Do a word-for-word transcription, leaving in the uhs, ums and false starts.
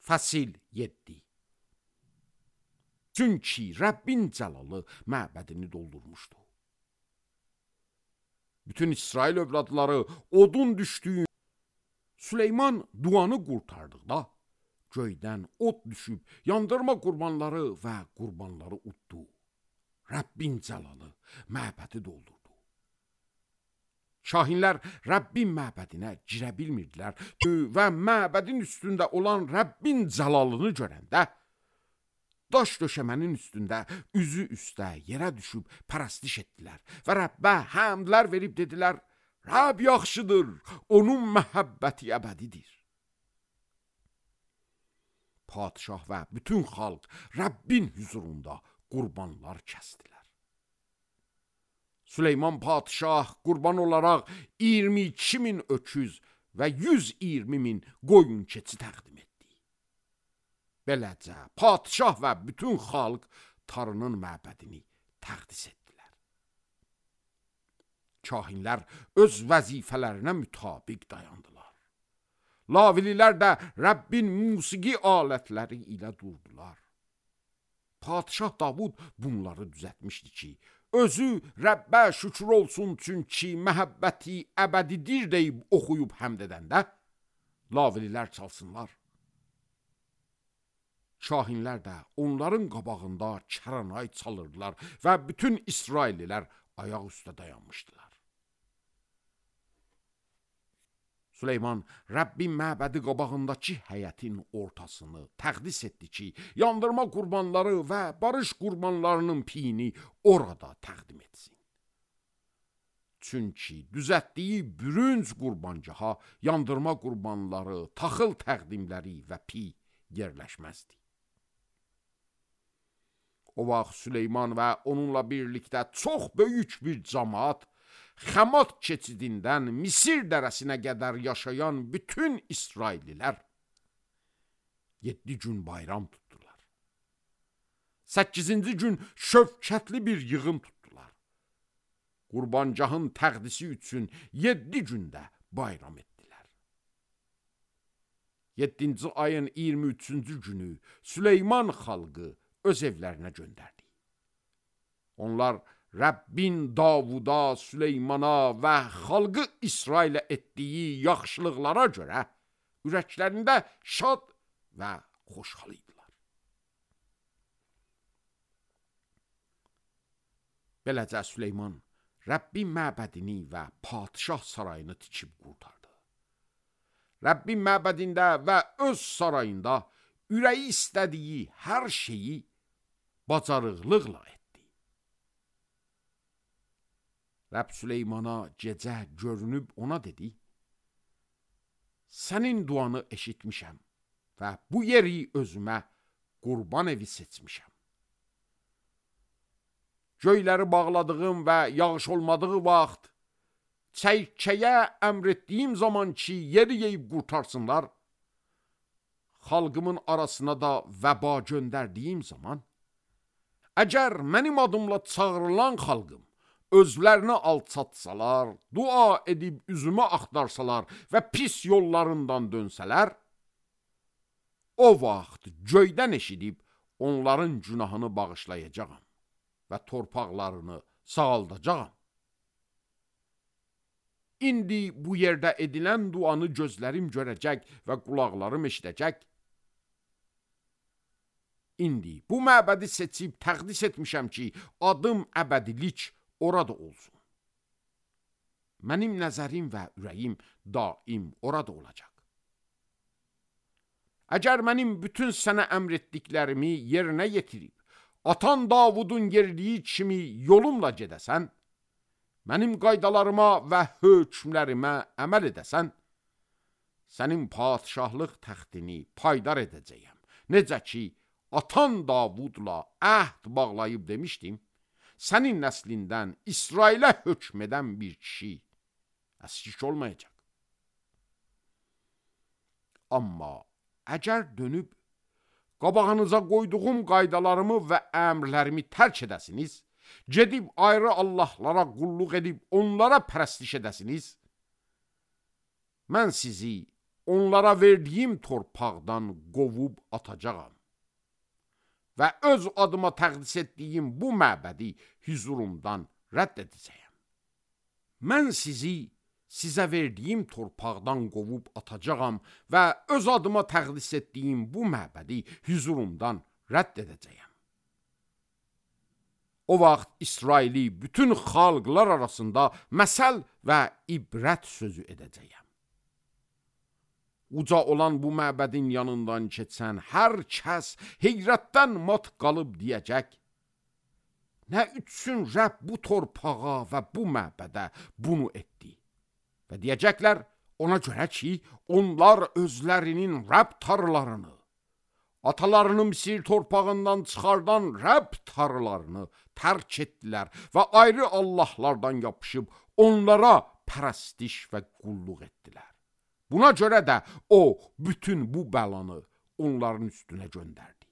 Fəsil yeddi. Çünki Rəbbin cəlalı məbədini doldurmuşdu. Bütün İsrail övladları odun düşdüyü Süleyman duanı qurtardıqda göydən od düşüb yandırma qurbanları və qurbanları uddu. Rəbbin cəlalı məbədi doldurdu. Şahinlər Rəbbin məbədinə girə bilmirdilər və məbədin üstündə olan Rəbbin cəlalını görəndə daş döşəmənin üstündə üzü üstə yerə düşüb pərəstiş etdilər və Rəbbə həmdlər verib dedilər: Rəbb yaxşıdır, onun məhəbbəti əbədidir. Padişah və bütün xalq Rəbbin huzurunda qurbanlar kəsdilər. Süleyman padişah qurban olaraq iyirmi iki min öküz və yüz iyirmi min qoyun keçi təqdim etdi. Beləcə padişah və bütün xalq Tanrının məbədini təqdis etdilər. Kahinlər öz vəzifələrinə mütabiq dayandılar. Lavililər də Rəbbin musiqi alətləri ilə durdular. Padişah Davud bunları düzəltmişdi ki, özü Rəbbə şükür olsun çünki məhəbbəti əbədidir deyib oxuyub həmd edəndə lavililər çalsınlar. Şahinlər də onların qabağında kəranay çalırdılar və bütün İsraillilər ayaq üstə dayanmışdılar. Süleyman Rəbbin məbədi qabağındakı həyətin ortasını təqdis etdi ki, yandırma qurbanları və barış qurbanlarının piyini orada təqdim etsin. Çünki düzəltdiyi bürünc qurbancaha yandırma qurbanları, taxıl təqdimləri və pi yerləşməzdi. O vaxt Süleyman və onunla birlikdə çox böyük bir cəmaat Xəmat keçidindən Misir dərəsinə qədər yaşayan bütün İsraillilər yeddi gün bayram tutdular. Səkkizinci gün şövkətli bir yığın tutdular. Qurbancahın təqdisi üçün yeddi gündə bayram etdilər. Yeddinci ayın iyirmi üçüncü günü Süleyman xalqı öz evlərinə göndərdi. Onlar Rəbbin Davuda, Süleymana və xalqı İsrailə etdiyi yaxşılıqlara görə ürəklərində şad və xoşhal idilər. Beləcə Süleyman Rəbbin məbədini və padişah sarayını tikib qurtardı. Rəbbin məbədində və öz sarayında ürəyi istədiyi hər şeyi bacarıqlıqla etdi. Rəbb Süleymana gecə görünüb ona dedi: Sənin duanı eşitmişəm və bu yeri özümə qurban evi seçmişəm. Göyləri bağladığım və yağış olmadığı vaxt, çəykəyə əmr etdiyim zaman ki, yeri yeyib qurtarsınlar, xalqımın arasına da vəba göndərdiyim zaman, əgər mənim adımla çağırılan xalqım özlərini alçatsalar, dua edib üzümü axtarsalar və pis yollarından dönsələr, o vaxt göydən eşidib onların günahını bağışlayacağam və torpaqlarını sağaldacağam. İndi bu yerdə edilən duanı gözlərim görəcək və qulaqlarım eşidəcək. İndi bu məbədi seçib təqdis etmişəm ki, adım əbədilik orada olsun. Mənim nəzərim və ürəyim daim orada olacaq. Əgər mənim bütün sənə əmr etdiklərimi yerinə yetirib, atan Davudun yerdiyi kimi yolumla gedəsən, mənim qaydalarıma və hökmlərimə əməl edəsən, sənin padişahlıq təxtini paydar edəcəyəm. Necə ki, atan Davudla əhd bağlayıb demişdim, sənin nəslindən İsrailə hökm edən bir kişi əskik olmayacaq. Amma əgər dönüb qabağınıza qoyduğum qaydalarımı və əmrlərimi tərk edəsiniz, gedib ayrı Allahlara qulluq edib onlara pərəstiş edəsiniz, mən sizi onlara verdiyim torpaqdan qovub atacağam. Və öz adıma təqdis etdiyim bu məbədi hüzurumdan rədd edəcəyəm. Mən sizi sizə verdiyim torpaqdan qovub atacağam və öz adıma təqdis etdiyim bu məbədi hüzurumdan rədd edəcəyəm. O vaxt İsraili bütün xalqlar arasında məsəl və ibrət sözü edəcəyəm. Uca olan bu məbədin yanından keçən hər kəs heyrətdən mat qalıb deyəcək, nə üçün Rəbb bu torpağa və bu məbədə bunu etdi? Və deyəcəklər, ona görə ki, onlar özlərinin Rəbb tarlalarını, atalarını Misir torpağından çıxardan Rəbb tarlalarını tərk etdilər və ayrı Allahlardan yapışıb onlara pərəstiş və qulluq etdilər. Buna görə də o bütün bu bəlanı onların üstünə göndərdi.